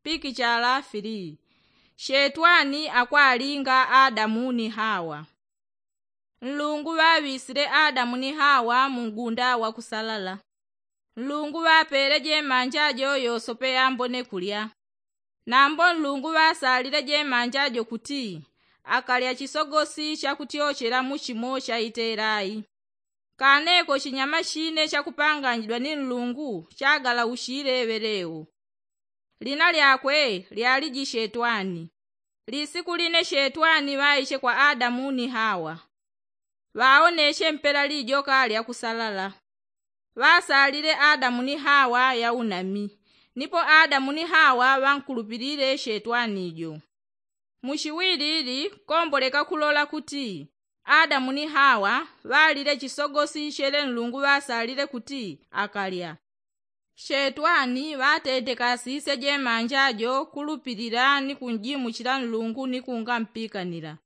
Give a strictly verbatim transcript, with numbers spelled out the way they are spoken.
Pikichala filii. Shetwani akwalinga adamu ni hawa. Nlungu ŵaŵisile adamu ni hawa mu ngunda wa kusalala. Nlungu ŵapele jemanja jo yosope yambone kulya. Nambo nlungu ŵasalile jemanja jo kuti akalya chisogosi chakutyochela muchimo chaitelayi. Kaneko chinyama chine chakupanganyidwa ni nlungu chagalaushile ŵeleo. Lina lyakwe lyaliji shetwani. Lisiku line shetwani ŵaiche kwa adamu ni hawa. Ŵaoneche mpela lijoka lya kusalala. Ŵasalile adamu ni hawa yaunami. Nipo adamu ni hawa ŵankulupilile shetwani jo. Muchiwilili komboleka kulola kuti adamu ni hawa ŵalile chisogosi chele nlungu ŵasalile kuti akalya. Shetwani ŵatetekasisye jemanja jo kulupilila ni kunjimuchila nlungu ni kungampikanila.